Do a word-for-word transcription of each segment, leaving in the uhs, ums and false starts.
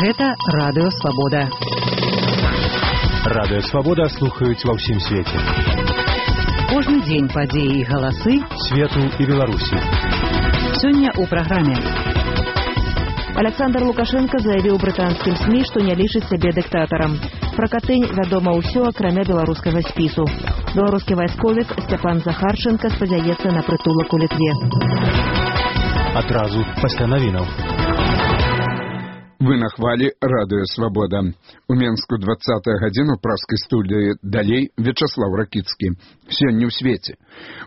Гэта Радыё Свабода. Радыё Свабода слухаюць ва ўсім свеце. Кожны дзень падзеі і галасы свету і Беларусі. Сёння ў праграме. Александр Лукашенко заявіў брытанскім СМІ, што не лічыць сябе дыктатарам. Пра Катынь вядома ўсё, акрамя беларускага спісу. Беларускі вайсковік Сцяпан Захарченко спадзяецца на прытулак у Літве. Адразу пасля навінаў. Вы на хвалі Радыё Свабода. У Менску двадцатая гадзіна праскай студыі далей Вячаслаў Ракіцкі. Сёння ў свеце.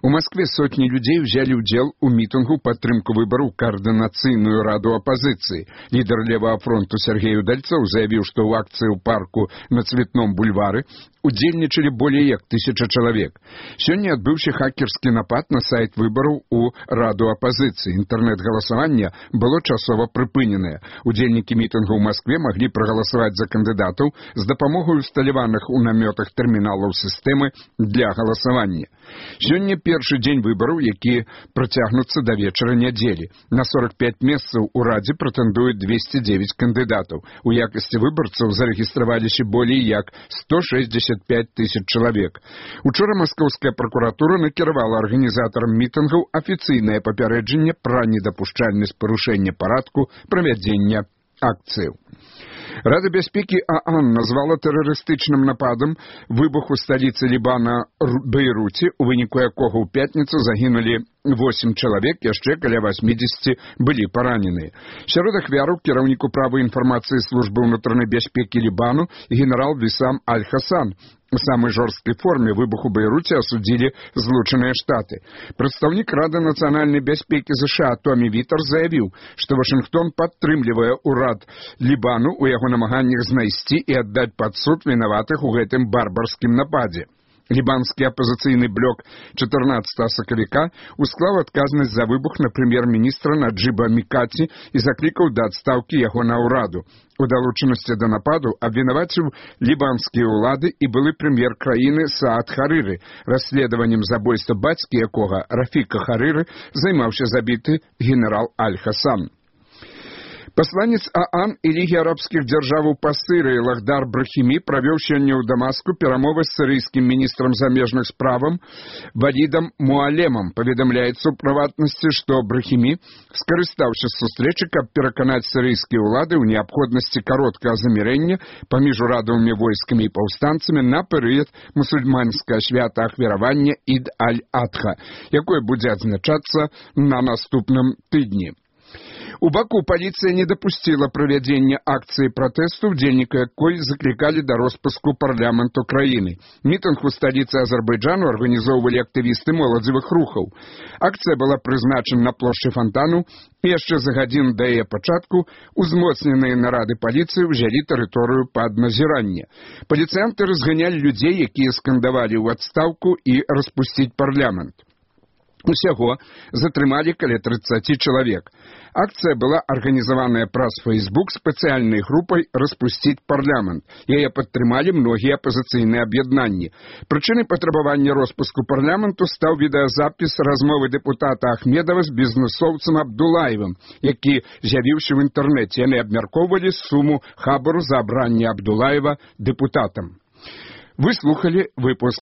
У Маскве сотні людзей узялі ўдзел у мітынгу падтрымку выбараў каардынацыйную раду апазіцыі. Лідар левага фронту Сергей Удальцоў заявіў, што ў акцыі ў парку на Цветном бульвары удзельнічалі болей як тысяча чалавек. Сёння адбыўся хакерскі напад на сайт выбараў у раду апазіцыі. Інтэрнэт-галасаванне было часова прыпыненае. Удзельнікі мітынгу ў Маскве маглі прагаласаваць за кандыдатаў з дапамогай усталяваных у намётах тэрміналаў сістэмы для галасавання. Сёння першы дзень выбараў, які працягнуцца да вечара нядзелі. На сорок пять месцаў у радзе прэтэндуюць двести девять кандыдатаў. У якасці выбарцаў зарэгістраваліся болей як сто шестьдесят пять тысяч чалавек. Учора маскоўская пракуратура накіравала арганізатарам мітынгаў афіцыйнае папярэджанне пра недапушчальнасць парушэння парадку правядзення акцыяў. Рада бяспекі ААН назвала тэрарыстычным нападам выбух у сталіцы Лібана Бейруце, у выніку якога ў пятніцу загінулі восемь чалавек, яшчэ каля восьмидесяти былі параненыя. Сярод ахвяраў кіраўнік управы інфармацыі службы ўнутранай бяспекі Лібану генерал Вісам Аль-Хасан. У самой жорсткай форме выбух у Бейруце асудзілі Злучаныя Штаты. Прадстаўнік Рады нацыянальнай бяспекі ЗША Томі Вітер заявіў, што Вашынгтон падтрымлівае ўрад Лібану ў яго намаганнях знайсці і аддаць пад суд вінаватых у гэтым барбарскім нападзе. Лібанскі апазіцыйны блок чатырнаццатага сакавіка усклаў адказнасць за выбух на прэм'ер-міністра Наджыба Мікаці і заклікаў да адстаўкі яго на ўраду. У далучанасці да нападу абвінаваціў лібанскія ўлады і былы прэм'ер краіны Саад Харыры. Расследаваннем забойства бацькі якога Рафіка Харыры займаўся забіты генерал Аль-Хасан. Пасланец ААН і Лігі арабскіх дзяржаваў па Сырыі Лахдар Брахімі правёў сёння ў Дамаску перамовы з сірыйскім міністрам замежных справаў Валідам Муалемам. Паведамляецца ў прыватнасці, што Брахімі скарыстаўся з сустрэчы, каб пераканаць сірыйскія ўлады ў неабходнасці кароткага замірэння паміж урадавымі войскамі і паўстанцамі на перыяд мусульманскага свята ахвяравання Ід-аль-Адха, якое будзе адзначацца на наступным тыдні. У Баку паліцыя не дапусціла правядзення акцыі пратэсту, удзельнікі якой заклікалі да роспуску парламенту краіны. Мітынг у сталіцы Азербайджану арганізоўвалі актывісты моладзевых рухаў. Акцыя была прызначана на плошчы Фонтану, і яшчэ за гадзіну да яе пачатку узмоцненыя нарады паліцыі ўзялі тэрыторыю пад назіранне. Паліцыянты разганялі людзей, якія скандавалі ў адстаўку і распусціць парламент. Усяго затрымалі каля трыццаці чалавек. Акцыя была арганізаваная праз Фейсбук спецыяльнай групай «Распусціць парламент». Яе падтрымалі многія апазіцыйныя аб'яднанні. Прычынай патрабавання роспуску парламенту стаў відэазапіс размовы дэпутата Ахмедова з бізнэсоўцам Абдулаевым, які з'явіўся ў інтэрнэце. Яны абмяркоўвалі суму хабару за абранне Абдулаева дэпутатам. Вы слухали выпуск